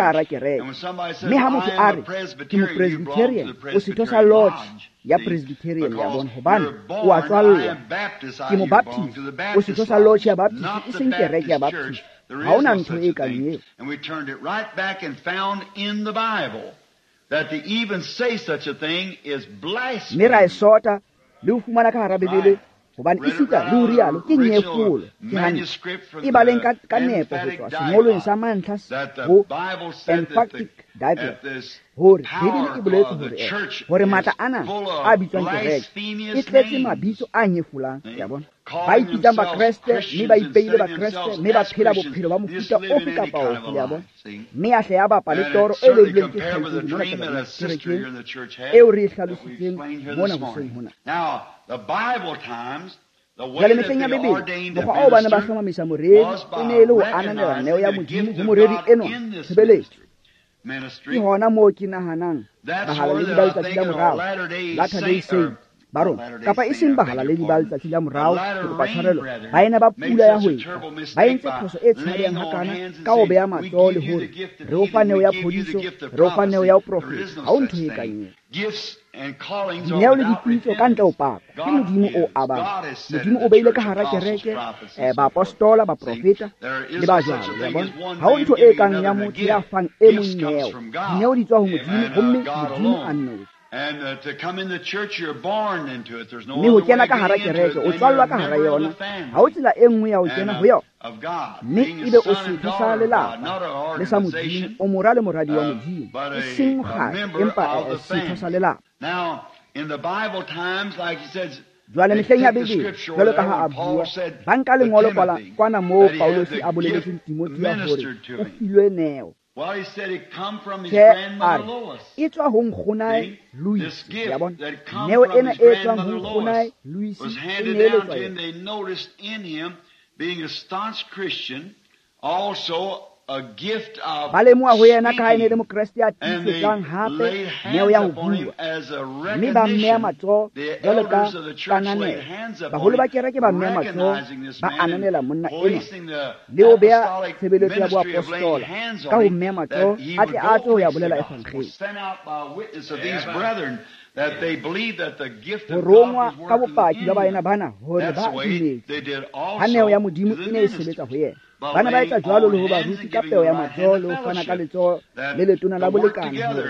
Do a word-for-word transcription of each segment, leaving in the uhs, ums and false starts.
ka hara kereke. Mme ha motho a re ke mopresbyterian, o setho sa lodge ya Presbyterian, le a bona, hobane o a tswallwa. Ke mobaptist, o setho sa lodge ya Baptist, e seng kereke ya Baptist. Ha hona ntho e kang eo. And we turned it right back and found in the Bible that to even say such a thing is blasphemy. Mme ra e sota Le ho fumana ka hara Bibele, hobane esita le ho rialo ke nyefolo. Ke hantle. E baleng ka, ka nepo ho tswa sengolweng sa mantlha ho Emphatic Diaglott, hore Bibele e boletse hore hore matla ana a bitswang kereke e tletse mabitso a nyefolang, ya bona. Ba ipitsang Bakreste mme ba ipeile Bakreste mme ba phela bophelo ba mofuta ofe kapa ofe, ya bona. Mme ya hle ya bapa le toro e lebilweng ke kgaitsedi mona kerekeng eo re e hlalositseng mona hoseng hona. Jwale mehleng ya Bibele, mokgwa oo ba ne ba hlomamisa moreri e ne e le ho ananela neo ya Modimo ho moreri enwa tshebeletso. Ke hona moo ke nahanang bahalaledi ba letsatsi la morao, Latter-day Saint ba rona, kapa e seng bahalaledi ba letsatsi la morao, ke kopa tshwarelo, baena ba pula ya hwetla, ba entse phoso e tshabehang hakana ka ho beha matsoho le hore re o fa neo ya phodiso, re o fa neo ya ho profeta. Ha ho ntho e kang eo. Dineo le dipitso ka ntle ho paka ke Modimo o abang. Modimo o beile ka hara kereke eh, baapostola, baprofeta le ba jwalo, ya bona. Ha ho ntho e kang ya motho ya fang e mong neo. Dineo di tswa ho Modimo, homme Modimo a nnotshi. Mme ho kena ka hara kereke, o tswallwa ka hara yona. Ha ho tsela e nngwe ya ho kena ho yona. Mme ebe o setho sa lelapa le sa Modimo, o mora le moradi wa Modimo, e seng mokgatlo, empa setho sa lelapa. Jwale mehleng ya Bibele, jwalo ka ha a bua, ba nka lengolo kwana moo Paulosi a boleletseng Timothea hore o filwe neo. Tjhe, a re, e tswa ho nkgonae Louis, ya bona. Neo ena e tswang ho nkgonae Louis e neeletswa yena. Ba lemoha ho yena ka ha e ne le Mokreste ya tiisetsang hape neo ya ho bua, mme ba mmeha matsoho jwalo ka kananelo. Baholo ba kereke ba mmeha matsoho, ba ananela monna enwa le ho beha tshebeletso ya boapostola ka ho mmeha matsoho a tle a tswe ho ya bolela evangeli. Ho rongwa ka bopaki ba baena bana hore ba dumetse ha neo ya Modimo e ne e sebetsa ho yena. Bana ba etsa jwalo le ho baruti ka peo ya matsoho le ho fana ka letsoho le letona la bolekane hore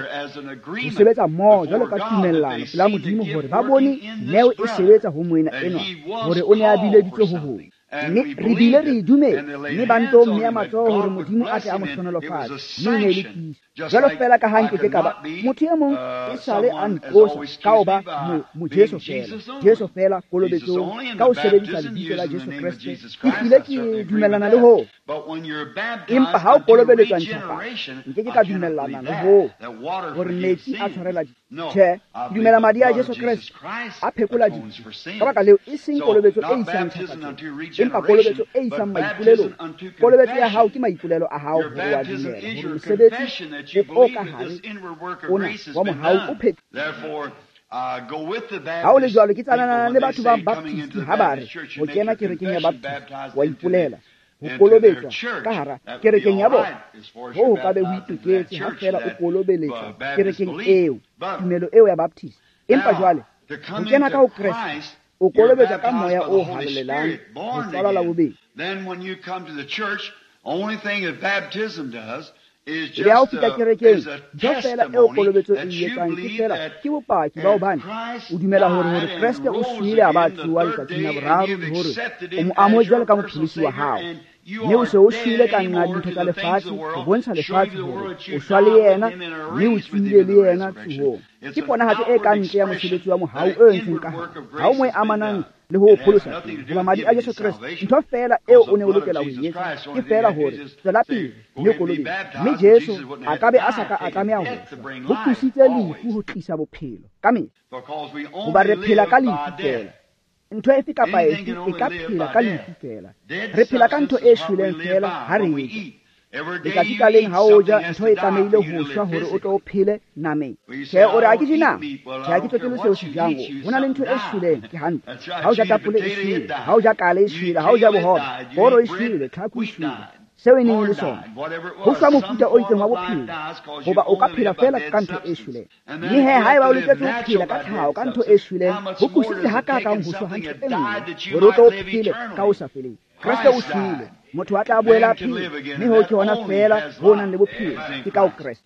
ho sebetsa mmoho jwalo ka tumellano pela Modimo hore ba bone neo e sebetsa ho moena enwa hore o ne a bileditswe ho hong. Mme re bile re e dumetse, mme ba nto mmeha matsoho hore Modimo a tle a mo hlohonolofatse, mme e ne e le tiiso. Jwalo feela ka ha nke ke ka ba motho e mong e sale a nqosa ka ho ba mo Jesu feela, Jesu feela kolobetsong, ka ho sebedisa lebitso la Jesu Kreste, ke hlile ke dumellana le hoo. Empa ha o kolobeletswa ntjhafatso, nke ke ka dumellana le hoo hore metsi a tshwarela dibe. Tjhe, ke dumela madi a Jesu Kreste a phekola dibe. Ka baka leo, e seng kolobetso e isang ntjhafatsong, empa kolobetso e isang maipolelong. Kolobetso ya hao ke maipolelo a hao hore wa dumela hore mosebetsi o ka hare ona wa mohau o phethile. Ha o le jwalo, ke tsanana le batho ba Baptist ha ba re ho kena kerekeng ya Baptist wa ipolela ho kolobetswa ka hara kerekeng ya bona. Ho ho ka be ho itoketse ha feela o kolobeletswa kerekeng eo, tumelo eo ya Baptist. Empa jwale ho kena ka ho Kreste, o kolobetswa ka moya o halalelang, ho tswalwa la bobedi. Ebe ha o fihla kerekeng, ntho feela eo kolobetso e etsang ke feela ke bopaki ba hobane o dumela hore hore Kreste o shwele a ba a tsoha letsatsing la boraro, le hore o mo amohetse jwalo ka mopholosi wa hao. Mme o se o shwele ka nqa dintho tsa lefatshe, ho bontsha lefatshe hore o shwa le yena, mme o tsohile le yena tsohong. Ke ponahatso e ka ntle ya mosebetsi wa mohau o entsweng ka hare. Ha o mo e amanang le ho pholosa teng, hoba madi a Jesu Kreste, ntho feela eo o ne o lokela ho e etsa ke feela hore tswela pele mme o kolobetswe. Mme Jesu a ka be a sa ka a tlameha ho shwa, ho tlositse lefu ho tlisa bophelo ka mehla, hoba re phela ka lefu feela. Ntho efe kapa efe e ka phela ka lefu feela. Re phela ka ntho e shweleng feela ha re e ja. Letsatsi ka leng ha o ja, ntho e tlamehile ho shwa hore o tlo o phele nameng. Tjhe, o re ha ke je nama. Tjhe, ha ke tsotelle seo se jang. Ho na le ntho e shweleng, ke hantle. Ha o ja tapole e shwele, ha o ja kale e shwele, ha o ja bohobe, koro e shwele, tlhaku e shwele. Seo e neng e le sona. Ho shwa mofuta o itseng wa bophelo, hoba o ka phela feela ka ntho e shweleng. Mme he, haeba o loketse ho phela ka tlhaho ka ntho e shweleng, ho kusitse hakakang ho shwa ha ntho e nngwe hore o tlo o phele ka ho sa feleng. Kreste o shwele, motho a tla boela a phele, mme ho ke hona feela ho nang le bophelo, ke ka ho Kreste.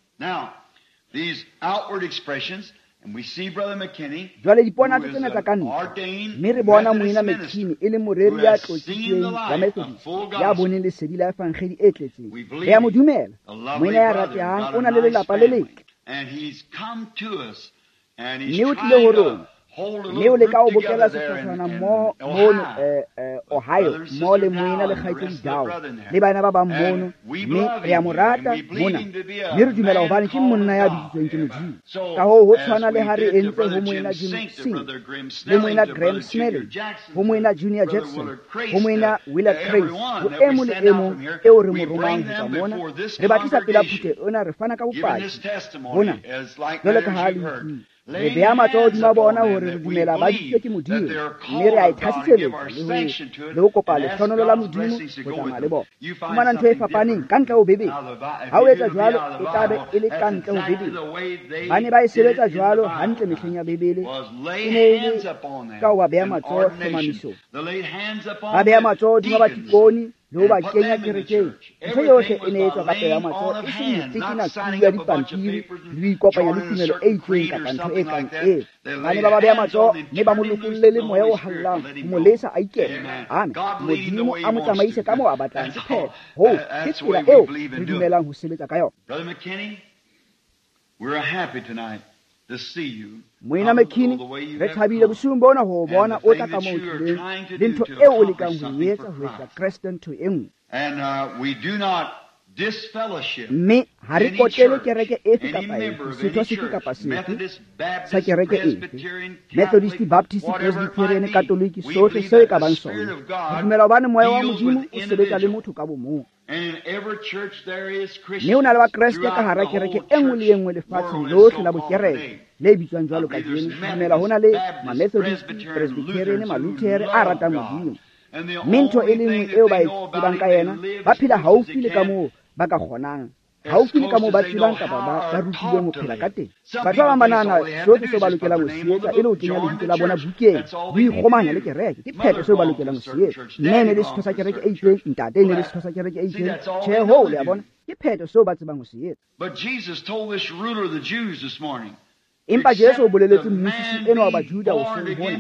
Jwale diponatso tsena tsa ka ntle, mme re bona Moena McKinney e le moreri ya tlotsitsweng wa Methodist, ya boneng lesedi la evangeli e tletseng. Re a mo dumela. Moena ya ratehang o na le lelapa le letle. Mme o tlile ho rona, mme o leka ho bokella sehlotshwana mmoho mono Ohio, mmoho le moena le kgaitsedi Dow le bana ba bang mono, mme re a mo rata mona, mme re dumela hobane ke monna ya biditsweng ke Modimo. Ka hoo ho tshwana le ha re entse ho Moena Jim Singh, le Moena Graham Snelling, ho Moena Junior Jackson, ho Moena Willard Crace, ho e mong le e mong eo re mo romang ho tswa mona, re ba tlisa pela phutheho ena, re fana ka bopaki bona jwalo ka ha le utlwile. Re beha matsoho hodima bona hore re dumela ba bitswe ke Modimo, mme re a e thasiseletsa le ho le ho kopa lehlohonolo la Modimo ho tsamaya le bona. Fumana ntho e fapaneng ka ntle ho Bibele. Ha o etsa jwalo, e tla be e le ka ntle ho Bibele. Ba ne ba e sebetsa jwalo hantle mehleng ya Bibele. E ne e le ka ho ba beha matsoho hlomamisong. Ba beha matsoho hodima batikoni le ho ba kenya kerekeng. Ntho yohle e ne etswa ka pela matsoho, e seng ho tekena kubu ya dipampiri le ho ikopanya le tumelo e itseng kapa ntho e kang eo. Ba ne ba ba beha matsoho mme ba mo lokolle le moya o hallang ho mo lesa a ikele. Amen. Modimo a mo tsamaise ka moo a batlang. Ke phetho. Hoo ke tsela eo re dumelang ho sebetsa ka yona. Moena McKinney, re thabile bosiung bona ho bona o tla ka moo tlileng le ntho eo o lekang ho e etsa ho etsa Kreste ntho e nngwe. Mme ha re kotele kereke efe kapa efe, setho sefe kapa sefe sa kereke efe, Methodist, Baptist, Presbyterian, Catholic, sohle seo e ka bang sona. Re dumela hobane moya wa Modimo o sebetsa le motho ka bomong. Mme o na le Bakreste ka hara kereke e nngwe le e nngwe lefatsheng lohle la bokereke le bitswang jwalo kajeno. Dumela ho na le Ma-Methodist, Presbyterian, Maluthere a ratang Modimo. Mme ntho e le nngwe eo ba e tsebang ka yena, ba phela haufi le ka moo ba ka kgonang, haufi le ka moo ba tsebang kapa ba rutilweng ho phela ka teng. Batho ba bang ba nahana sohle seo ba lokelang ho se etsa e le ho kenya lebitso la bona bukeng, ho ikgomanya le kereke. Ke phetho seo ba lokelang ho se etsa. Mme e ne le setho sa kereke e itseng, ntate e ne le setho sa kereke e itseng. Tjhe, hoo, le a bona, ke phetho seo ba tsebang ho se etsa. Empa Jesu o boleletse mmusisi enwa wa Bajuda hoseng hona,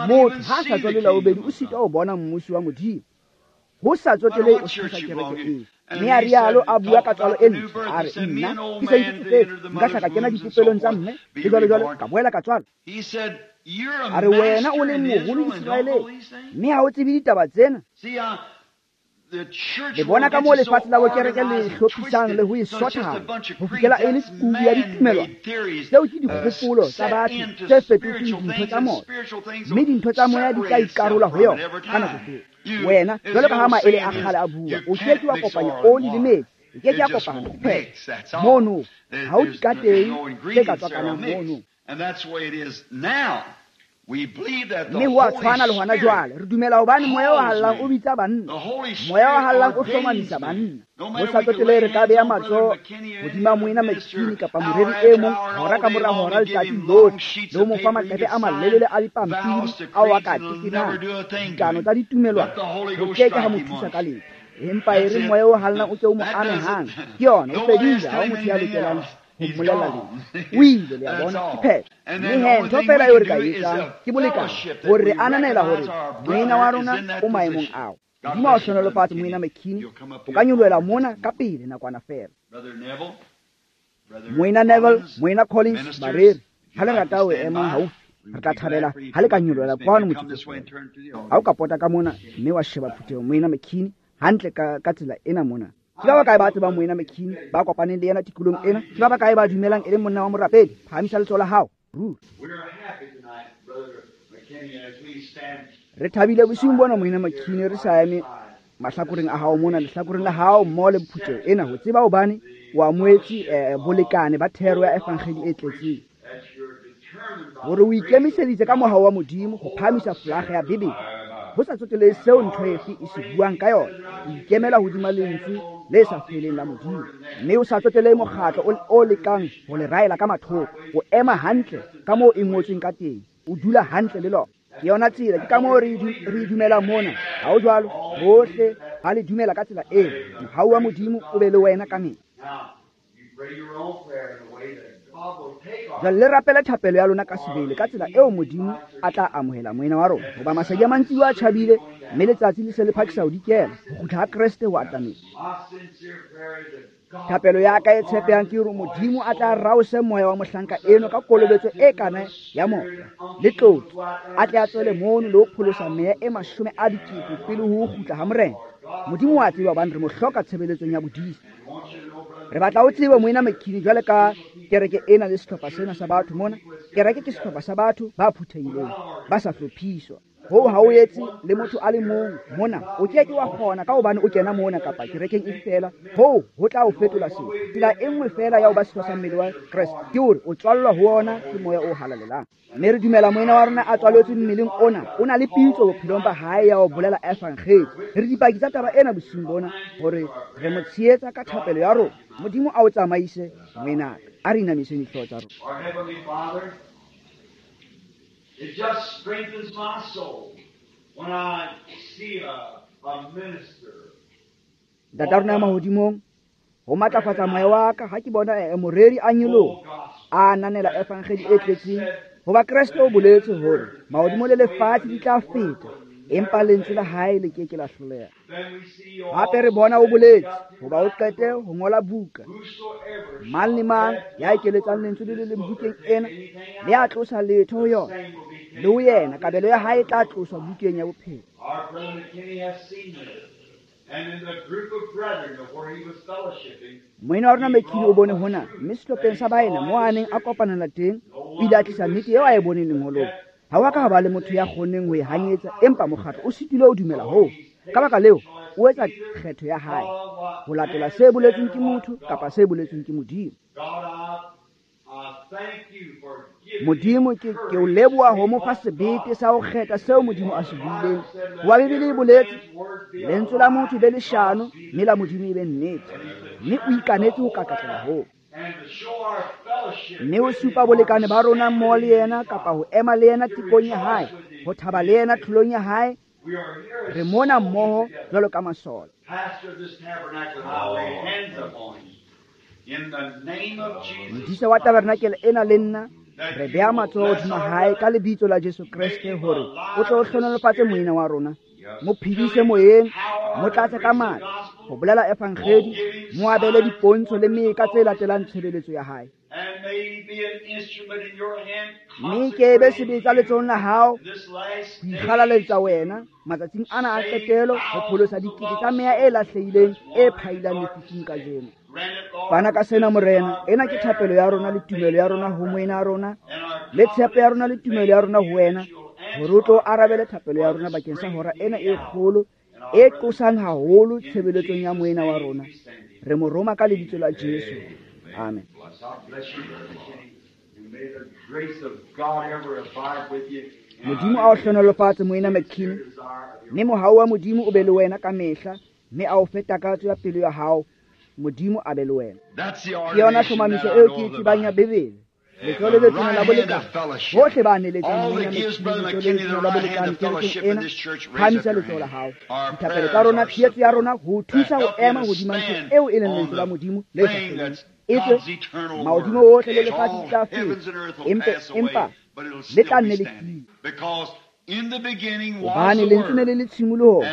motho ha a sa tswalwe la bobedi o sitwa ho bona mmusi wa Modimo, ho sa tsotelehe o setho sa kereke eo. Mme a rialo a bua ka tswalo e ntle, a re, nna ke se ntse tsofetse, nka hla ka kena dipopelong tsa mme, le jwalo jwalo, ka boela ka tswalwa. A re, wena o le moholo Iseraeleng, mme ha o tsebe ditaba tsena. Le bona ka moo lefatshe la bokereke le hlophisang le ho e sothana ho fihlela e le kubu ya ditumelwana. Tseo ke dikgopolo tsa batho tse fetotsweng dintho tsa moya, mme dintho tsa moya di tla ikarola ho yona ka nako tseo. Wena, jwalo ka ha maele a kgale a bua, o ke ke wa kopanya oli le metsi, e ke ke ya kopana phetho. Mono ha o di ka teng tse ka tswakanang mono. Mme ho a tshwana le hona jwale. Re dumela hobane moya o hallang o bitsa banna, moya o hallang o hlomamisa banna. Ho sa tsotelehe re ka beha matsoho hodima Moena McKinney kapa moreri e mong hora ka mora hora letsatsi lohle, le ho mo fa maqephe a malelele a dipampiri ao a ka tekenang dikano tsa ditumelwana, ho ke ke ha mo thusa ka letho. Empa e re moya o hallang o ke o mo ame hang, ke yona, o fedile, ha ho motho ya lokelang ho mmolella letho. O ile, le a bona, ke phetho. Mme he, ntho feela eo re ka e etsang ke bolekane, hore re ananela hore moena wa rona o maemong ao. Modimo a o hlohonolofatse, Moena McKinney. O ka nyolohela mona ka pele nakwana feela. Moena Neville, Moena Collins, bareri, ha le rata ho ema haufi, re tla thabela ha le ka nyolohela kwano motsotso. Ha o ka pota ka mona mme wa sheba phutheho, Moena McKinney, hantle ka, ka tsela ena mona. Ke ba bakae ba tsebang Moena McKinney, ba kopaneng le yena tikolong ena? Ke ba bakae ba dumelang e le monna wa morapedi? Phahamisa letsoho la hao. Ruri. Re thabile bosiung bona, Moena McKinney, re sa eme mahlakoreng a hao mona, lehlakoreng la hao mmoho le phutheho ena, ho tseba hobane o amohetse eh, bolekane ba thero ya evangeli e tletseng, hore o ikemiseditse ka mohau wa Modimo ho phahamisa folaga ya Bibele, ho sa tsotelehe seo ntho efe e se buang ka yona. O ikemela hodima lentswe le sa feleng la Modimo, mme o sa tsotelehe mokgatlo o lekang ho le raela ka mathoko. O ema hantle ka moo e ngotsweng ka teng, o dula hantle le lona. Ke yona tsela, ke ka moo re e dumelang mona. Ha ho jwalo, bohle ba le dumela ka tsela eo. Mohau wa Modimo o be le wena ka mehla. Jwale le rapele thapelo ya lona ka sebele ka tsela eo Modimo a tla amohela moena wa rona. Hoba masedi a mantsiboya a tjhabile, mme letsatsi le se le phakisa ho dikela, ho kgutla ha Kreste ho atametse. Thapelo ya ka e tshepehang ke hore Modimo a tla raose moya wa mohlanka eno ka kolobetso e kana ya moya le tlotso, a tle a tswele mono le ho pholosa meya e mashome a dikete pele ho kgutla ha Morena. Modimo wa tseba hobane re mo hloka tshebeletsong ya bodisa. Re batla o tsebe moena McKinney jwale ka kereke ena le sehlopha sena sa batho mona. Kereke ke sehlopha sa batho ba phuthehileng, ba sa hlophiswa. Hoo ha o etse le motho a le mong mona, o ke ke wa kgona ka hobane o kena mona kapa kerekeng e feela. Hoo ho tla o fetola seo. Tsela e nngwe feela ya ho ba setho sa mmele wa Kreste ke hore o tswallwa ho ona ke moya o halalelang. Mme re dumela moena wa rona a tswaletswe mmeleng ona, o na le pitso bophelong ba hae ya ho bolela evangeli. Re dipaki tsa taba ena bosiung bona hore re mo tshehetsa ka thapelo ya rona. Modimo a o tsamaise moena, a re inamiseng dihlooho tsa rona. It just strengthens my soul when I see a, a minister. Ntate rona ya mahodimong, ho matlafatsa moya wa ka ha ke bona e moreri a nyoloha a ananela evangeli e tletseng. Hoba Kreste o boletse hore mahodimo le lefatshe di tla feta, empa lentswe la hae le ke ke la hloleha. Hape re bona o boletse hoba o qete ho ngola buka, mang le mang ya ekeletsang lentswe le le leng bukeng ena le a tlosa letho ho yona, le ho yena kabelo ya hae e tla tloswa bukeng ya bophelo. Moena wa rona McKinney o bone hona, mme sehlopheng sa baena moo a neng a kopanela teng, o ile a tlisa nnete eo a e boneng lengolong. Ha wa ka ha ba le motho ya kgonneng ho e hanyetsa, empa mokgatlo o sitilwe ho dumela hoo. Ka baka leo, o etsa kgetho ya hae ho latela se boletsweng ke motho kapa se boletsweng ke Modimo. Modimo ke ke o leboha ho mo fa sebete sa ho kgetha seo Modimo a se buileng. Hoba Bibele e boletse, lentswe la motho e be leshano, mme la Modimo e be nnete. Mme o ikanetse ho kakatlela hoo. Mme o supa bolekane ba rona mmoho le yena kapa ho ema le yena tekong ya hae, ho thaba le yena tlholong ya hae. Re mona mmoho jwalo ka masole. Modisa wa tabernakele ena le nna re beha matsoho hodima hae ka lebitso la Jesu Kreste hore o tle o hlohonolofatse moena wa rona, mo phedise moyeng, mo tlatse ka matla ho bolela evangeli, mo abele dipontsho le meka tse latelang tshebeletso ya hae. Mme ke be sebetsa letsohong la hao ho ikgalaletsa wena matsatsing ana a qetelo ho pholosa dikete tsa meya e lahlehileng e phailang lefifing kajeno. Fana ka sena Morena, ena ke thapelo ya rona le tumelo ya rona ho moena ya rona, le tshepo ya rona le tumelo ya rona ho wena, hore o tlo arabele thapelo ya rona bakeng sa hora ena e kgolo e qosang haholo tshebeletsong ya moena wa rona. Re mo roma ka lebitso la Jesu. Amen. Modimo a o hlohonolofatse moena McKinney, mme mohau wa Modimo o be le wena ka mehla, mme a o fe takatso ya pelo ya hao. Modimo a be le wena. Ke yona tlhomamiso eo ke e tsebang ya Bibele. Letsoho le letona la bolekane, bohle ba neletsang moena McKinney letsoho le letona la bolekane kerekeng ena, phahamisa letsoho la hao. Dithapelo tsa rona, tshehetso ya rona ho thusa ho ema hodima ntho eo e leng lentswe la Modimo le sa feleng. Etswe mahodimo ohle le lefatshe di tla feta, empa empa le tla nne le tiye. Hobane lentswe ne le le tshimolohong,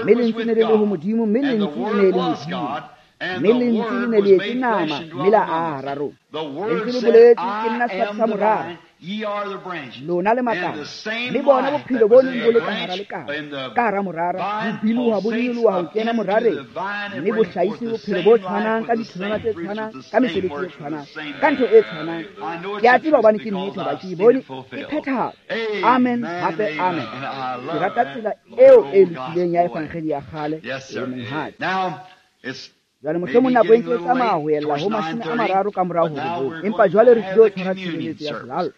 mme lentswe ne le le ho Modimo, mme lentswe e ne e le Modimo. Mme lentswe le ne le etse nama, mme la aha hara rona. Lentswe le boletse, ke nna sefate sa morara, lona le makala. Mme bona bophelo bo neng bo le ka hara lekala, ka hara morara, bo biloha, bo nyoloha ho kena morareng, mme bo hlahise bophelo bo tshwanang ka ditholwana tse tshwanang, ka mesebetsi e tshwanang, ka ntho e tshwanang. Ke a tseba hobane ke nnete, hoba ke e bone e phethahala. Amen, hape amen. Ke rata tsela eo e lokileng ya evangeli ya kgale e monghadi. Jwale mohlomong nako e ntse e tsamaya ho ella ho mashome a mararo ka morao ho robong, empa jwale re tlilo tshwara tshebeletso ya selallo.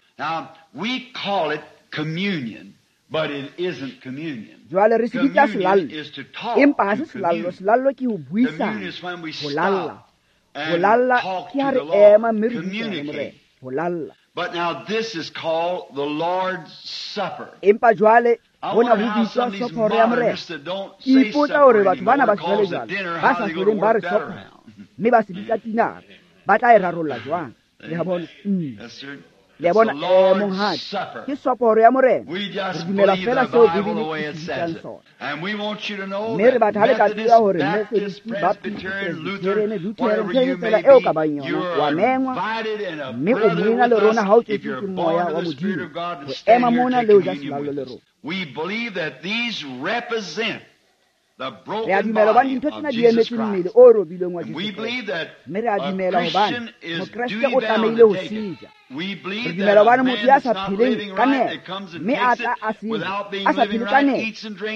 Jwale re se bitsa selallo, empa ha se selallo. Selallo ke ho buisana, ho lalla. Ho lalla ke ha re ema mme re buisana le Morena, ho lalla. Empa jwale hona ho bitswa sophoro ya Morena. Ke ipotsa hore batho bana ba sejwalejwale ba sa hloleng ba re sophoro, mme ba se bitsa tinara, ba tla e rarolla jwang? Le a bona? Le a bona, eh, monghadi, ke soporo ya Morena. Re dumela fela seo Bibele e se bitsang sona. Mme re batla ha le ka tseba hore Methodist, Baptist, Presbyterian, Lutheran, ntho efe fela eo ka bang yona, wa mengwa, mme o moena le rona ha o tswetswe ke moya wa Modimo, ho ema mona le ho ja selallo le rona. Re a dumela hobane dintho tsena di emetse mmele o robilweng wa Jesu Kreste. Mme re a dumela hobane Mokreste o tlamehile ho se ja. Re dumela hobane motho ya sa pheleng ka nepo, mme a tla a se ja, a sa phele ka nepo,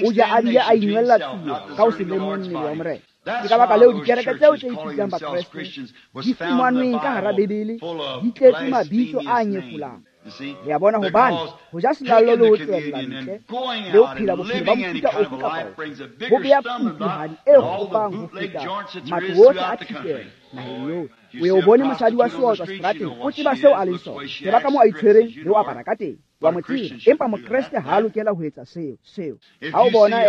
o ja a bile a inwella tsie ka ho se lemohe mmele wa Morena. Ke ka baka leo dikereke tseo tse ipitsang Bakreste di fumanweng ka hara Bibele di tletse mabitso a nyefolang. Le a bona, hobane ho ja selallo le ho tswella ntle le ho phela bophelo ba mofuta ofe kapa ofe ho bea kutuhadi e kgopang ho feta matlo wohle a thitelo naheng yohle. O ye o bone mosadi wa seotswa seterateng, o tseba seo a leng sona, tseba ka moo a itshwereng le ho apara ka teng, wa mo tseba. Empa Mokreste ha a lokela ho etsa seo seo. Ha o bona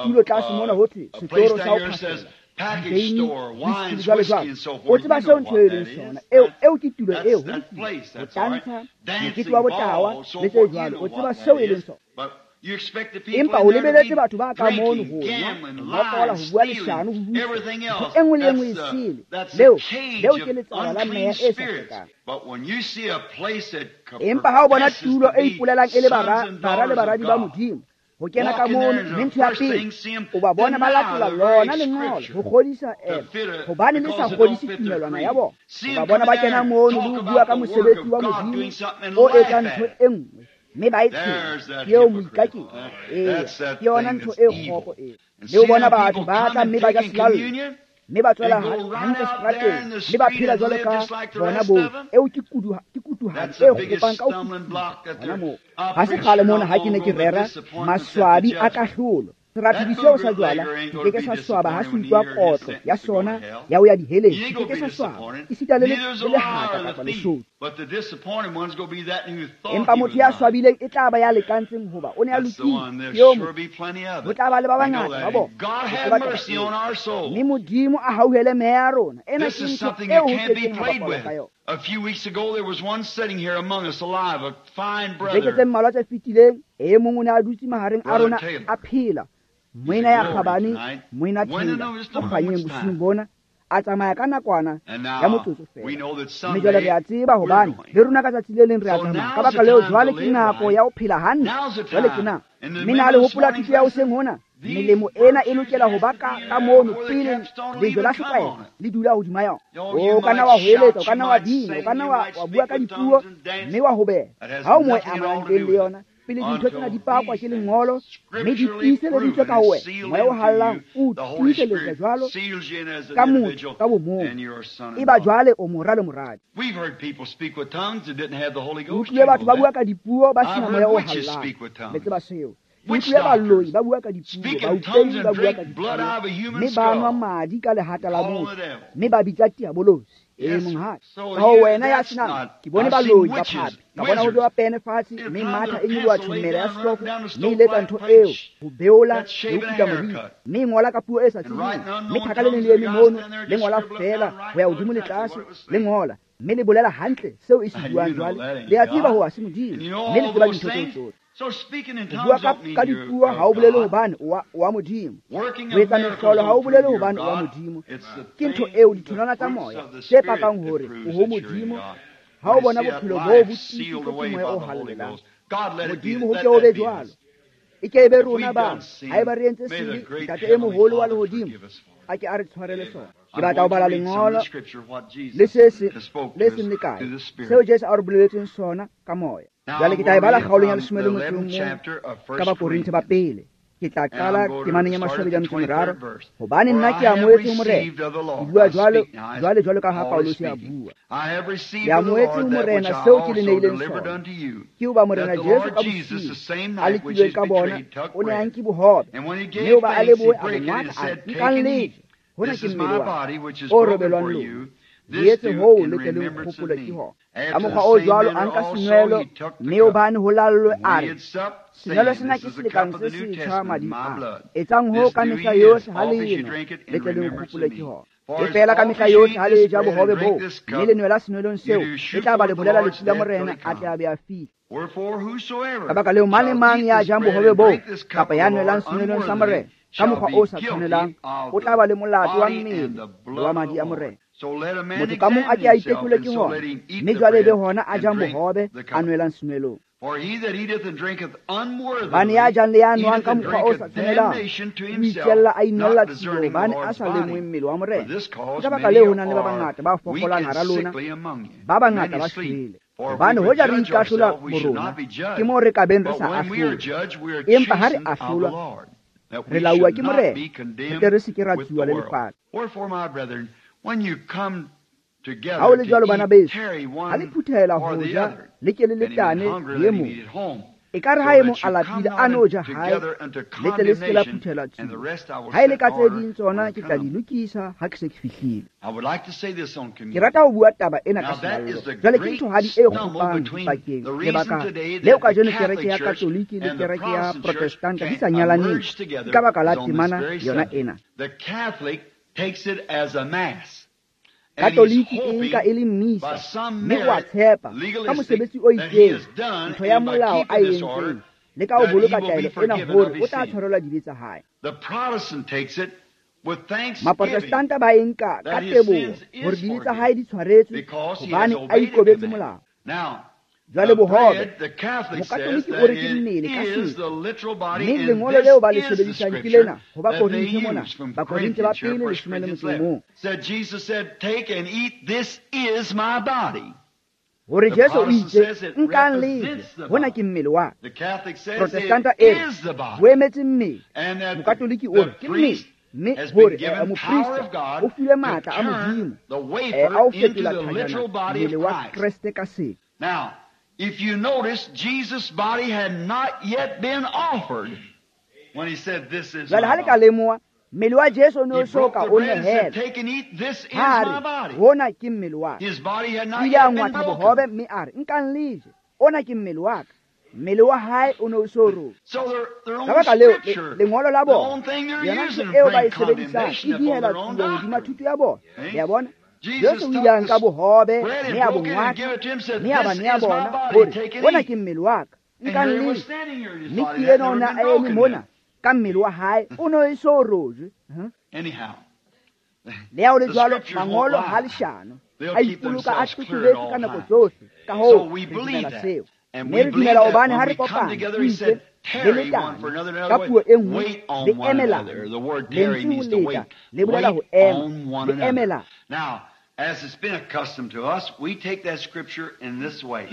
tulo tlase mona ho thwe setoro sa ho phahlela, diveini, whisky, jwalo jwalo, o tseba seo ntho e leng sona. Eo eo ke tulo eo, ho lokile, ho tantsha, mokete wa botawa le tse jwalo, o tseba seo e leng sona. Empa o lebeletse batho ba ka mono ho nwa, ho nokola, ho bua leshano, ho utswa, ntho e nngwe le e nngwe e sele. Leo, leo ke letsala la meya e sa hlwekang. Empa ha o bona tulo e ipolelang e le bara, bara le baradi ba Modimo, ho kena ka mono, mme ntho ya pele, o ba bona ba latola lona lengolo ho kgodisa ema, hobane le sa kgodise tumelwana ya bona. O ba bona ba kena mono le ho bua ka mosebetsi wa Modimo o etsang ntho e nngwe, mme ba e tshela. Ke eo moikaketsi. Eya, ke yona ntho e kgopo eo. Le o bona batho ba tla mme ba ja selallo, mme ba tswela hantle seterateng, mme ba phela jwalo ka bona bohle. Eo ke kudu, ke kutuhadi e kgopang ka ho fetisisa hona moo. Ha se kgale mona ha ke ne ke rera maswabi a kahlolo. Serathodi seo sa jwala se ke ke sa swaba ha se utlwa kotlo ya sona ya ho ya diheleng. Se ke ke sa swaba esita le le lehata kapa leshodu. Empa motho ya swabileng e tla ba ya lekantseng hoba o ne a lokile. Ke eo motho. Ho tla ba le ba bangata ba bona. Ho tseba taba eo. Mme Modimo a hauhele meya ya rona. Ena ke ntho eo ho kekeng ha bapalwa ka yona. Beke tse mmalwa tse fetileng, e mong o ne a dutse mahareng a rona a phela. Moena ya kgabane, moena Taylor, o kganyeng bosiung bona, a tsamaya ka nakwana ya motsotso fela. Mme jwale re a tseba hobane le rona ka tsatsi le leng re a tsamaya. Ka baka leo jwale ke nako ya ho phela hantle. Jwale ke nako. Mme na le hopola thuto ya hoseng hona? Melemo ena e lokela ho ba ka ka mono pele lejwe la setlwaelo le dula hodima yona. O ka nna wa hoeletsa, o ka nna wa bina, o ka nna wa wa bua ka dipuo, mme wa hobeha. Ha o mo e amanang teng le yona, pele dintho tsena di pakwa ke lengolo, mme di tiiseleditswe ka ho wena, moya o hallang o tiiseletsa jwalo ka motho ka bomong. Eba jwale o mora le moradi. O utlwile batho ba bua ka dipuo ba sena moya o hallang. Le tseba seo. Ke utlwile baloi ba bua ka dipuo, baupelli ba bua ka dipuo, mme ba nwa madi ka lehata la motho, mme ba bitsa diabolosi. Ee, monghadi. Ka ho wena ya senang, ke bone baloi ba phapi, ka bona ho bewa pene fatshe, mme matha e nyoloha tjhomela ya setofo, mme e letsa ntho eo ho beola le ho kuta moriri, mme e ngola ka puo e sa tsebeng, mme thaka le leng le eme mono, le ngola feela ho ya hodimo le tlase, le ngola, mme le bolela hantle seo e se buang jwale. Le a tseba ho se Modimo, mme le tseba dintho tseo tsohle. Ho bua ka, ka dipuo ha o bolele hobane o wa, wa Modimo. Ho etsa mehlolo ha o bolele hobane o wa Modimo. Ke ntho eo ditholwana tsa moya tse pakang hore o ho Modimo. Ha o bona bophelo boo bo tiisitswe ke moya o halalelang. Modimo ho ke o be jwalo. E ke e be rona ba, haeba re entse sebe, Ntate e moholo wa lehodimo a ke a re tshwarele sona. Ke batla ho bala lengolo le se se le seng le kae seo Jesu a re boleletseng sona ka moya. Jwale ke tla e bala kgaolong ya leshome le motso o mong ka Bakorinthe ba pele. Ke tla qala temaneng ya mashome a metso e meraro, hobane nna ke amohetse ho Morena. Ke bua jwalo jwale jwalo ka ha Paulus a bua. Ke amohetse ho Morena seo ke le neileng sona. Ke hoba Morena Jesu ka bosiu a lekilweng ka bona, o ne a nke bohobe, mme hoba a lebohe a bo ngwatha, a re, nkang le je, hona ke mmele wa ka o robelwang lona. Le etse hoo le tle le nkgopole ke hona. Ka mokgwa o jwalo a nka senwelo, mme hobane ho lallwe a re, senwelo sena ke selekane se setjha mading a. Etsang hoo ka mehla yohle ha le enwa, le tle le nkgopole ke hona. E fela ka mehla yohle ha le ja bohobe boo mme le nwela senwelong seo, e tla ba le bolela lefu la Morena a tle a be a fihle. Ka baka leo, mang le mang ya jang bohobe boo kapa ya nwelang senwelong sa Morena ka mokgwa o sa tshwanelang, o tla ba le molato wa mmele le wa madi a Morena. Motho ka mong a ke a itekole ke hona, mme jwale e be hona a jang bohobe a nwelang senwelong. Hobane ya jang le ya nwang ka mokgwa o sa tshwanelang, o itjella a inolla tshilo, hobane a sa lemohe mmele wa Morena. Ke ka baka leo ho nang le ba bangata ba fokolang hara lona, ba bangata ba shwele. Hobane hoja re ikahlola borona, ke moo re ka beng re sa ahlolwe. Empa ha re ahlolwa, re lauwa ke Morena, re tle re se ke ra tsuwa le lefatshe. Ha ho le jwalo, bana beso, ha le phuthehela ho ja, le ke le letane le e mong. Ekare ha e mong a lapile, a no ja hae, le tle le se ke la phuthela tsuo. Ha e le ka tse ding tsona, ke tla di lokisa ha ke se ke fihlile. Ke rata ho bua taba ena ka selallo. Jwale ke nthohadi e kgopang dipakeng. Lebaka leo kajeno kereke ya Katoliki le kereke ya Protestanta di sa nyalaneng ke ka baka la temana yona ena. Katoliki e nka e le mmisa, mme o a tshepa ka mosebetsi o itseng, ntho ya molao a e entseng, le ka ho boloka taelo ena hore o tla tshwarelwa dibe tsa hae. Maprotestanta ba e nka ka teboho hore dibe tsa hae di tshwaretswe hobane a ikobetse molao. Jwale bohobe, Mokatoliki o re ke mmele ka setso, mme lengolo leo ba le sebedisang ke lena ho Bakorinthe mona, Bakorinthe ba pele leshome le motso o mong. Hore Jesu o itse, nkang le je, hona ke mmele wa ka. Protestanta e re, bo emetse mmele. Mokatoliki o re ke mmele, mme hore moprista o filwe matla a Modimo a ho fetola thajana mmele wa Kreste ka setso. If you notice, Jesus' body had not yet been offered when he said, "This is my Jwale ha le ka body." lemoha, mmele wa Jesu o ne o He so broke ka the o bread and said, nehela. "Take and eat, this is Ha my re, body." hona ke mmele wa ka. His body had O not ile a yet been ngwatha broken. bohobe mme a re, nkang le je, ona ke mmele wa ka. Mmele wa hae o ne o so robe. So their, their own Ka baka leo, le- scripture, lengolo la the bona, own thing they're yona using ntho to eo ba bring e sebedisang condemnation e upon dihela their own tsuo hodima doctrine. thuto ya bona. Eh? Le a bona? Jesus Jesu o took ile a nka the bohobe, bread and mme a bo broke it and ngwatha, gave it to him, said, mme a ba "This nea is my bona body, hore take and hona eat." ke mmele wa ka, And nkang here he le was je. standing here in his Mme body ke that had enwa o never ne been a eme broken mona yet. ka mmele wa hae, o ne o eso rojwe. Huh? Anyhow, Le ha ho le the jwalo, scriptures won't mangolo ha lie. leshano, They'll a keep ipoloka a themselves clear at totobetse all ka nako times. tsohle. Ka hoo, So we re believe dumela that. seo. And Mme we re believe dumela that hobane when ha re we come kopana, together, o he itse, said, le tarry one for letane. another. In Ka other words, puo e nngwe, wait le on one emelana. another. The word tarry Lentswe ho means to leta, wait. le bolela ho Wait ema, on one le another. emelana. Now, as it's been accustomed to us, we take that scripture in this way.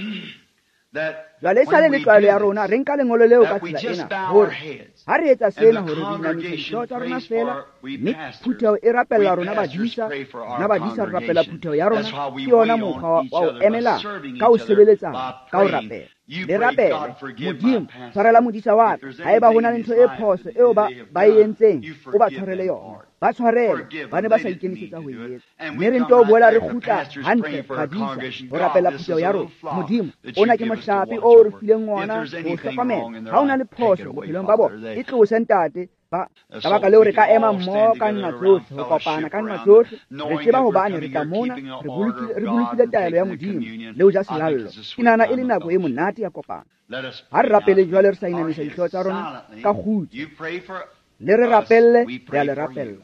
That Jwale e sale when le we tlwaelo do ya rona, this, re nka lengolo leo ka that we tsela just ena bow our hore heads ha re etsa and sena the hore re inamisa congregation dihlooho tsa rona prays feela, for we mme pastors. phutheho e rapella We rona pastors badisa, pray for rona our badisa re rapela congregation. phutheho ya rona. That's how we Ke yona wait mokgwa on wa each wa ho other by emela serving ka ho each other, sebeletsana, by ka ho praying. rapela. You Le pray, rapele, God, forgive my Modimo, pastor. tshwarela modisa wa If ka. there's Haeba ho anything na in le his ntho e life phoso that eo ba they have ba e done, entseng, you o ba forgive tshwarele them yona. for it. Ba tshwarele, Forgive ba ne them. ba They sa didn't mean ikemisetsa to ho do e it. etsa. And Mme we re come nto right boela re back to kgutla pastors hantle praying for our badisa congregation. ho God, rapela this phutheho is ya a rona. little flock Modimo, that ona you ke give us to mohlape watch o re over. fileng If ona there's ho anything hlokomela. wrong in their Ha ho na life, le take it phoso away, bophelong ba Father. bona, They e tlose ntate. Ba Uh, ka baka so leo we re ka can ema all mmoho stand ka together nna around tsohle, ho kopana fellowship ka nna around tsohle. Re knowing tseba that we're hobane re coming tla here mona, keeping the re order bolokile of re God bolokile and taelo ya taking the Modimo communion. le ho ja I think selallo. it's a Ke sweet nahana e time le of nako e fellowship. monate ya kopano. Let us Ha re pray now rapele to jwale re sa our inamisa heads dihlooho tsa rona silently. ka kgutso. You pray for Le re us, rapelle, we re a pray le for you. rapella.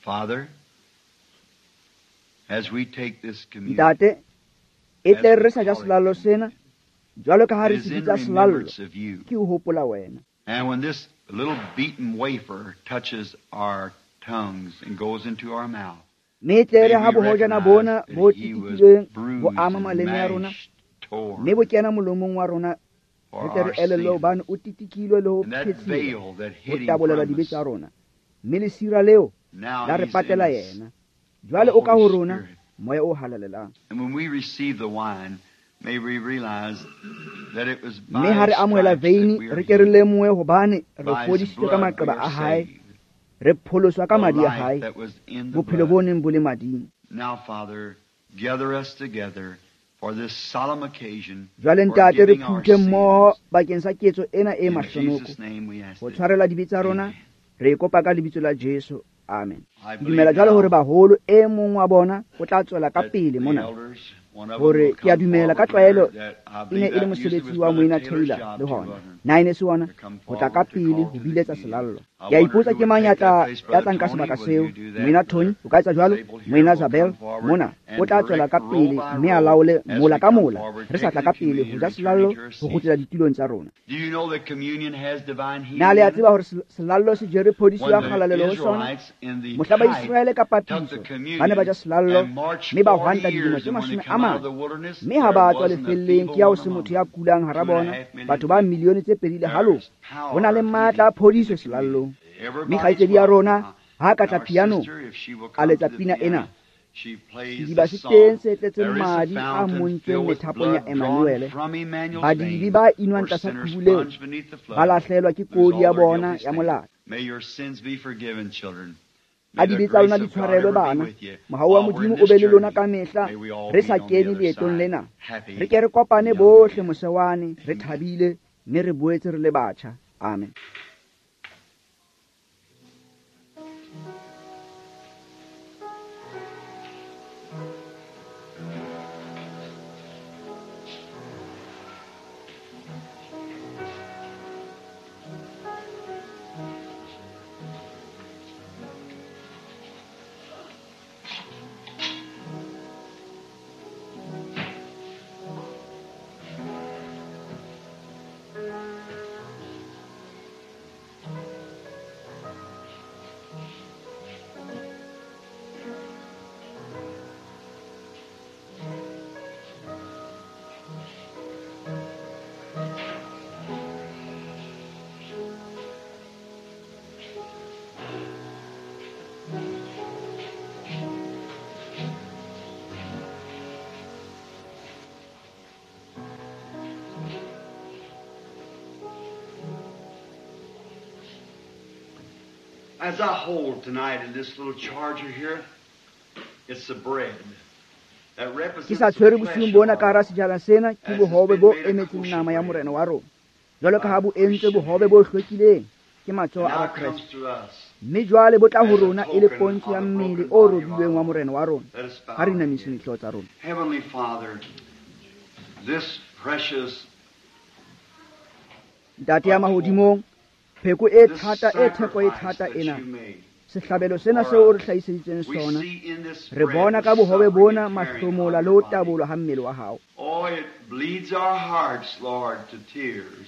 Father, as we take this communion, Ntate, e as tle we re sa ja call it selallo sena, communion, jwalo ka ha it re is se in bitsa selallo, remembrance of you. ke ho hopola wena. And when this little beaten wafer touches our tongues and goes into our mouth, Mme e tle may re ha we bohojana recognize bona that bo he was titikilweng bo bruised ama and maleme a rona, mashed Mme bo kena molomong wa rona for re tle our re elellwe sins. hobane o titikilwe le ho And that phethiwa veil that ho hid him tabolelwa from dibe us, tsa rona. Mme lesira leo now la re he's in patela us. yena. Jwale o ka ho Holy rona Spirit. moya o halalelang. And when we receive the wine, may we realize that it was Mme by ha re his amohela stripes that veini we are re ke re healed. lemohe hobane re By his fodisitswe ka blood we maqeba are a hae, saved. re pholoswa ka The madi a life hae, that was in the bophelo bo blood. neng bo le mading. Now, Father, gather us together for this solemn occasion, Jwale ntate re forgiving our phuthe mmoho sins. bakeng sa ketso ena e In mahlonoko Jesus' name we ask ho it. tshwarela dibe tsa rona. Amen. Re e kopa ka lebitso la Jesu. Amen. I Ke dumela believe jwale hore now baholo e mong wa bona o tla tswela ka that pele the mona elders, one of them hore will ke a come dumela ka forward here, tlwaelo that I e ne believe e le that usually mosebetsi was wa Brother Moena Taylor's Taylor job le too, hona. wasn't it? Na e ne se ona To come ho tla ka forward to pele call ho to the biletsa communion. selallo. I Ke a wonder ipotsa who ke would mang ya take that tla place, ya Brother tla nka Tony, sebaka will seo. you do that? Moena Tony Brother o ka etsa jwalo. Zabel here Moena will Zabel come forward mona o and tla tswela direct ka row pele by mme a row laole as mola we ka come mola forward, re sa taking tla the ka pele ho communion, ja returning selallo to our ho seats. kgutlela ditulong tsa rona. Do you know that communion has divine Na le a healing in it? tseba hore sel- selallo se jere phodiso When ya the kgalalelo ho sona? Israelites in the Mohla type Baiseraele ka took the papiso ba ne ba communion ja selallo and marched mme ba forty hwanta dilemo years, tse and when they mashome a come out of mane. the wilderness, Mme ha there ba tswa wasn't a lefelleng feeble ke ya ho one se among motho ya them. kulang hara Two and a bona, half million batho ba people. milione tse pedi le There halofo. is Ho na power le of matla a healing in phodiso the communion. selallong. Mme Everybody's kgaitsedi ya welcome rona now. ha ka And tla our pianong sister, if she will a come to letsa the pina piano, ena. she plays Sediba the se teng song. se tletseng There is a madi a fountain montsweng filled with methapong ya blood drawn Emmanuele. from Emmanuel's Badibe veins, ba inwang where tlasa sinners qhubu leo plunge beneath the ba flood, lahlelwa ke lose kodi all ya their bona guilty ya stain. molato. May your sins be forgiven, children. A May the dibe tsa grace lona di of God tshwarelwe ever be bana. with you Mohau wa while we're in Modimo o this be le lona journey. ka mehla May we all re meet sa on the kene other leetong side, lena. happy Re ke re kopane and young bohle again. mose wane re Amen. thabile mme re boetse re le batjha. Amen. As I hold tonight in this little charger here, it's the bread that Ke represents sa the tshwere flesh bosiung of bona our ka hara Lord. sejana sena ke As it's bohobe been bo made a emetseng kosher nama ya bread morena wa rona. Jwalo ka by ha bo entswe Christian bohobe bo hands. hlwekileng ke matsoho And a now Bakreste. comes to us Mme jwale bo tla ho as a rona e le token pontsho of ya the mmele broken o body of our robilweng wa Lord. morena wa rona. Let us bow Ha re our inamiseng heads. dihlooho tsa rona. Heavenly Father, this precious Ntate ya atonement, mahodimong, pheko e this thata e theko e sacrifice thata that ena, you made sehlabelo sena for seo o re us, hlahiseditseng we sona, see in this re bread bona the ka bohobe suffering bona and tearing mahlomola of le your ho body. tabolwa ha mmele wa hao. Oh, it bleeds our hearts, Lord, to tears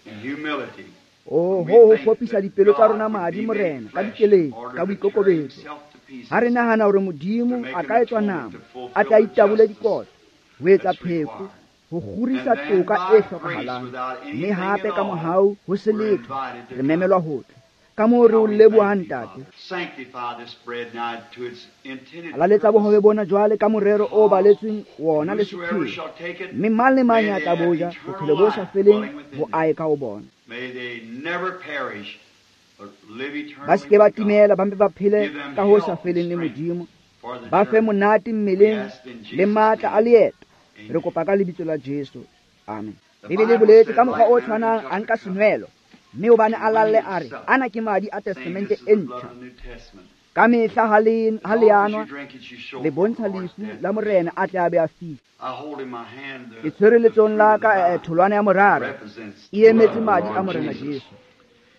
in humility. Oh, When we ho ho think kgopisa that dipelo tsa God rona would madi be made morena ka flesh in dikeledi order ka to tear boikokobetso. himself to Ha re pieces nahana hore to Modimo make a an ka etswa atonement nama to a fulfill tla the itabole justice dikotlo ho etsa that's pheko required. ho And kgorisa then toka by e grace, hlokahalang. without Mme anything hape at ka all, mohau ho se we're letho invited to re come. memelwa ho tla. Ka moo re How o we thank lebohang thee, ntate. Father. Sanctify this bread now to its intended Halaletsa bohobe purpose. bona jwale ka morero o Cause baletsweng wona le whosoever sepheo. shall take it, Mme mang le mang may ya they tla have bo ja, eternal bophelo bo sa life feleng dwelling within bo them. ae ka ho bona. May they never perish, but live Ba se eternally ke ba with God. timela, ba mpe ba phele Give them ka ho sa health and feleng le strength Modimo. for the Ba fe journey. monate We mmeleng ask in le Jesus' matla a name. leeto. Re Amen. kopa ka lebitso la Jesu. Amen. The Bibele e Bible boletse said, ka mokgwa like o manner he tshwanang took a the nka cup, senwelo mme hobane a and when lalle he a had re supped, ana ke madi a saying, testamente This is e the blood ntjha. of the New Testament. Ka mehla ha le As ha le oft as anwa you drink it, you show le forth the bontsha Lord's lefu death la till he morena comes. a tle a be a fihle. I hold in my hand Ke the, tshwere the letsohong fruit la of the ka eh, vine tholwana ya that morara represents e the blood emetse of the madi a Lord morena Jesus. Jesu.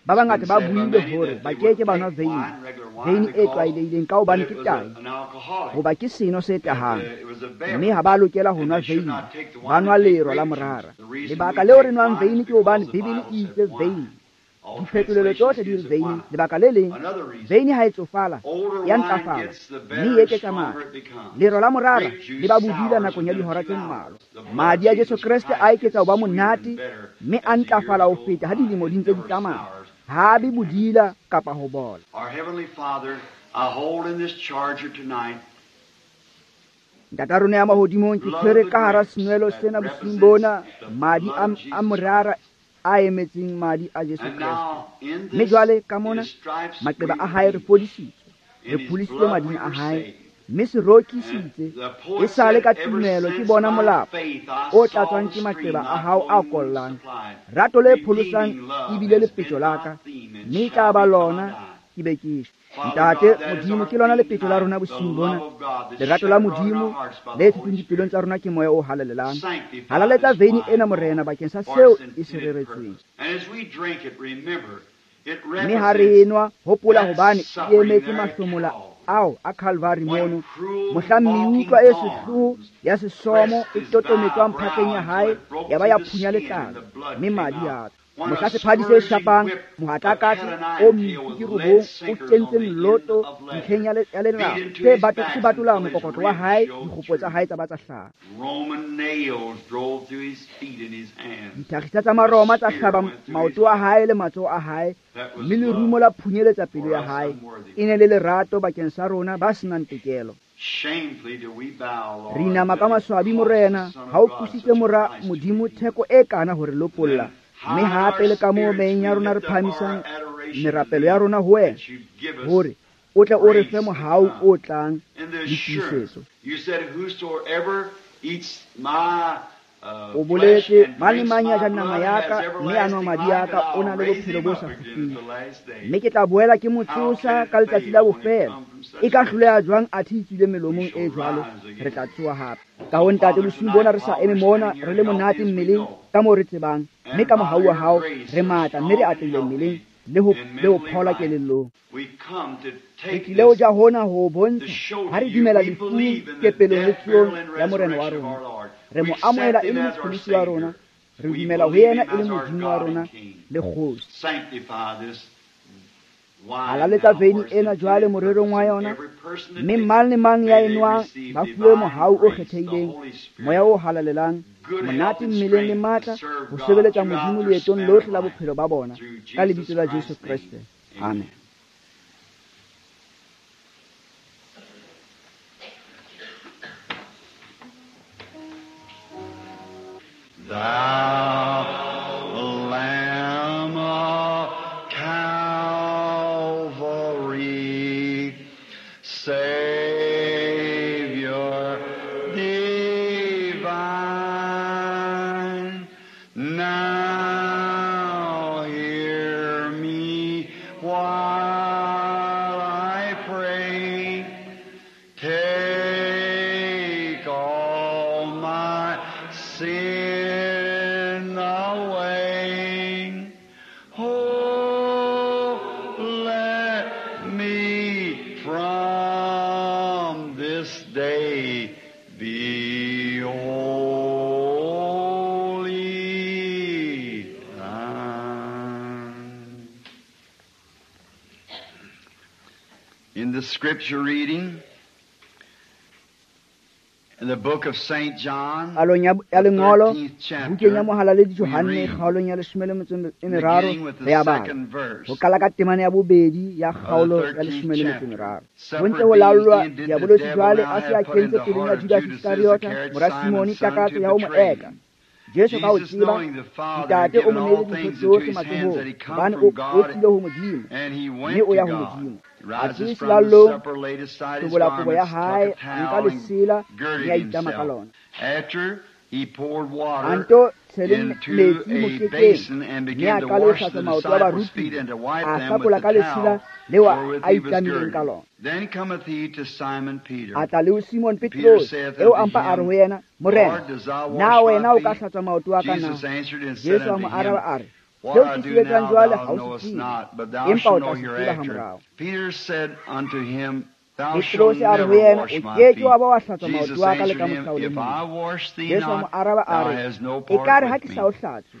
Ba It's been bangata ba said by buile many hore that ba they ke wouldn't ke ba nwa take veine, wine, regular wine, veine e because tlwaelehileng ka that hobane it ke was tahi a, an alcoholic, hoba ke seno se that tahang. uh, it was a Mme beverage, ha ba lokela ho and nwa they should veine, not take the ba wine nwa and take lero la grape juice. morara. The reason we Lebaka leo re take nwang wine is veine ke because hobane the Bibele Bible e said itse wine veine Diphetolelo tsohle di re veine. Lebaka le leng, veine ha e tsofala, ya ntlafala, mme e eketsa matla. Lero la morara le ba bodila nakong ya dihora tse mmalwa. Madi a Jesu Kreste a eketsa ho ba monate, mme a ntlafala ho feta ha dilemo di ntse di tsamaya. Ha be bodila kapa ho bola. Our Heavenly Father, I hold in this charger tonight Ntata rona ya mahodimong, ke tshwere ka hara senwelo sena bosiung bona madi a, a morara a emetseng madi a Jesu Kreste. Mme jwale ka mona maqeba a hae re fodisitswe, re pholositswe mading a hae, mme se rokisitse e sale ka tumelo ke bona molapo o tlatswang ke maqeba a hao a kollang. Rato le pholosang ebile lepetjo la ka, mme e tla ba lona ke be ke shwe. Ntate Modimo, ke lona lepetjo la rona bosiung bona. Lerato la Modimo le tsitseng dipelong tsa rona ke moya o halalelang. Halaletsa veine ena Morena bakeng sa seo e se reretsweng. Mme ha re enwa, hopola hobane e emetse mahlomola ao a Calvary mono, mohla meutlwa e sehloho ya sesomo e totometswang phatleng ya hae, ya ba ya phunya letlalo, mme madi a tswa. Mohla sephadi se shapang mohatlakatse o metsi ke robong o kentseng loto ntlheng ya lelapa se se batola mokokotlo wa hae, dikgopo tsa hae tsa ba tsa hlaha. Dithakgisa tsa Maroma tsa hlaba maoto a hae le matsoho a hae, mme lerumo la phunyeletsa pelo ya hae. E ne le lerato bakeng sa rona ba senang tokelo. Re inama ka maswabi Morena, ha o qositse mora Modimo theko e kana hore lopolla. Mme hape le ka moo meyeng ya rona re phahamisang merapelo ya rona ho wena, hore o tle o re fe mohau o tlang le tiisetso. O boletse, mang le mang ya jang nama ya ka mme a nwa madi a ka o na le bophelo bo sa kgutleng, mme ke tla boela ke mo tsosa ka letsatsi la bofelo. E ka hloleha jwang athe e tswile melomong e jwalo? Re tla tsoha hape. Ka ho Ntate, bosiung bona re sa eme mona re le monate mmeleng ka moo re tsebang, mme ka mohau wa hao re matla mme re atlehile mmeleng le ho le ho phola kelellong. Re tlile ho ja hona ho bontsha ha re dumela lefung, kepelong le tsohong ya Morena wa rona. Re mo amohela e le mopholosi wa rona, re dumela ho yena e le Modimo wa rona le kgosi. Halaletsa veine ena jwale morerong wa yona, mme mang le mang ya e nwang ba fuwe mohau o kgethehileng, moya o halalelang, monate mmeleng le matla ho sebeletsa Modimo leetong lohle la bophelo ba bona, ka lebitso la Jesu Kreste. Amen. Thou Lamb of Calvary, Savior divine, now hear me while I pray. Take all my sin away. Oh, let me from this day be holy. In the scripture reading, in the book of Saint John, Palong ya ya lengolo, bukeng ya Mohalaledi Johanne, kgaolong ya leshome le metso e meraro, beginning with re the a bala. second verse Ho qala ka temana ya bobedi ya of the kgaolo ya thirteenth leshome le metso e chapter. meraro. Ho Supper ntse ho being laolwa ended, the diabolosi devil jwale now a se a had put kentse in the pelong heart ya of Judas Judas Iskariota, Iscariot, mora Simone, Simon's son, takatso to ya ho mo betray eka. him. Jesu ka ho Jesus, tseba knowing the Father had Ntate o given mo all neile dintho things into tsohle his hands, matsohong, that he come hobane from o o God tswile ho Modimo, and he mme went o to ya ho God. Modimo. He A rises tsohe from the selalong, supper, laid aside his hlobola kobo ya garments, hae, took a a nka towel, and lesela, mme girded a itlama ka himself. lona. After he poured A water nto tshele into metsi a mokekeng, basin and mme began a to qala ho wash hlatswa the maoto a disciples' feet barutuwa, and to wipe a them with hlakola the ka lesela towel leo wherewith a he was itlamileng ka girded. lona. Then cometh he to Simon Peter. A tla le ho Simon Peter Petrose, saith eo unto a mpa a re him, ho yena, Morena, Lord, dost thou na wash my wena o ka feet? hlatswa maoto a ka na? Jesus answered and said Jesu a unto mo him, araba a re, What seo I ke se do etsang now jwale thou ha o se knowest tsebe, not, but thou empa o shalt tla know se tseba hereafter. hamorao. Peter said unto him, Thou shalt Petrose a re ho never yena, wash o my ke ke feet. wa ba wa hlatswa Jesus maoto a ka le answered ka him, mohla o le If mong. I wash thee Jesu a mo not, araba a thou re, hast no ekare part ha with ke me. sa o hlatswe,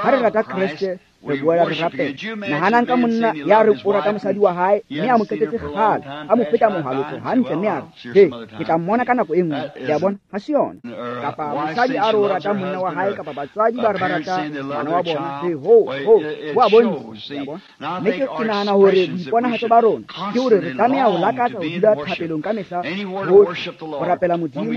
Ha re rata Kreste, re boela re rapela. Nahanang ka monna ya re o rata mosadi wa hae, mme a mo qetetse kgale, a mo feta mohalotso hantle, mme a re, "He, ke tla mmona ka nako e nngwe." Le a bona? Ha se yona. Kapa mosadi a re o rata monna wa hae, kapa batswadi ba re ba rata ngwana wa bona. He, ho, ho, ho a bontsha. Le a bona? Mme ke, ke nahana hore boiponahatso ba rona ke hore re tlameha ho lakatsa ho dula thapelong ka mehla hohle, ho rapela Modimo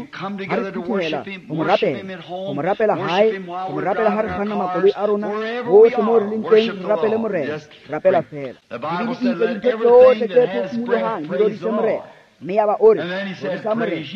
ha re phuthehela ho mo rapela, ho mo rapela hae, ho mo rapela ha re kganna makoloi a rona, hohle moo re leng teng, re rapele Morena. Rapela feela. Bibele e itse dintho tsohle tse phefumolohang di rorise Morena. Mme yaba o re, rorisa Morena.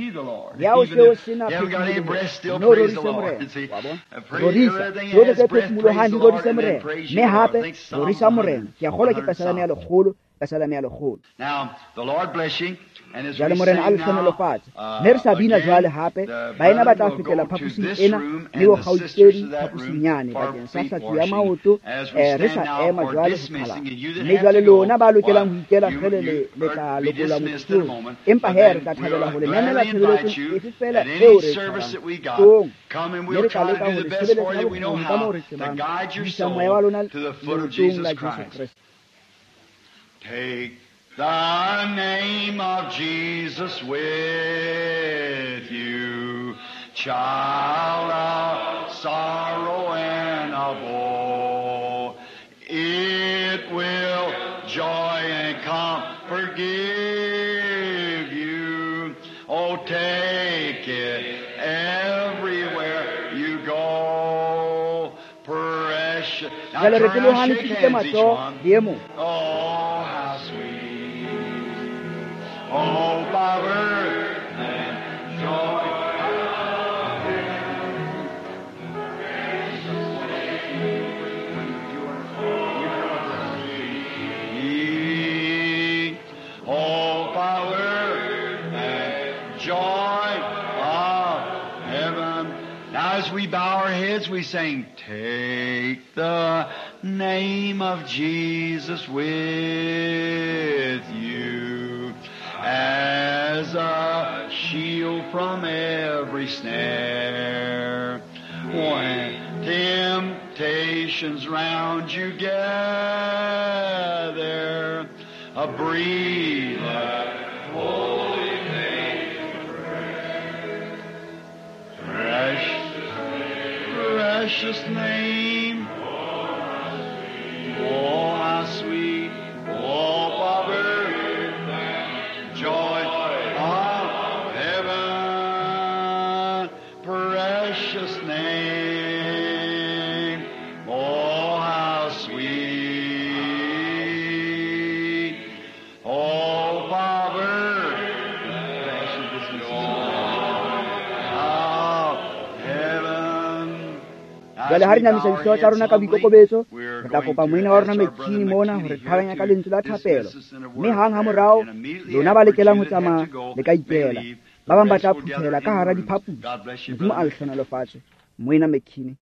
Le ha o se o sena phefumoloho, mme o rorise Morena. Wa bona? Rorisa. Tsohle tse phefumolohang di rorise Morena. Mme hape, rorisa Morena. Ke a kgolwa ke Pesaleme ya lekgolo Pesaleme ya lekgolo. Now, the Lord bless you. And as Jwale we Morena a sing le now, hlohonolofatse. uh, Mme re sa bina again, jwale hape, the baena ba tla brethren will fetela go to phaposing this ena room le and bo the sisters kgaitsedi to that phaposing room yane for bakeng sa feet hlatsuo ya washing. maoto. As we Eh, re stand sa now ema for jwale ho dismissing, qhalana. and you that Mme have jwale to go, lona ba lokelang why, ho ikela you, kgele le you le tla are be lokollwa dismissed in a motsotsong. moment, Empa but he re then tla thabela we'll ho le memela gladly invite tshebeletsong you efe feela at eo any re e service tshwarang. that we got. Tloong, Come and mme we'll re tla try to leka do ho the le best sebeletsa for ka you we know bokgoni ka moo how re to tsebang. guide your Isa moya wa soul lona to the foot of leotong Jesus la Jesu Christ. Kreste. Take the name of Jesus with you, child of sorrow and of woe. It will joy and comfort give you. Oh, take it everywhere you go. Precious. Now Jwale re turn around, tlolohane shake tsukutse hands each matsoho one. le e mong. Oh, how sweet. Oh, power and joy. Oh, power and joy of heaven. Now as we bow our heads, we sing, take the name of Jesus with you as a shield from every snare. When temptations round you gather, a breathe that holy name. Precious, precious name. Oh, how sweet, oh, power, joy of heaven, precious name. Oh, how sweet, oh, power, precious joy of heaven. Jwale ha re namisa dihlooho tsa rona ka boikokobetso, re tla kopa moena wa rona McKinney mona ho re qhalanya ka lentswe la thapelo. Mme hang ha morao, lona ba lokelang ho tsamaya le ka ikela. Ba bang ba tla phuthela ka hara diphaposi. Modimo a le hlohonolofatse. Moena McKinney.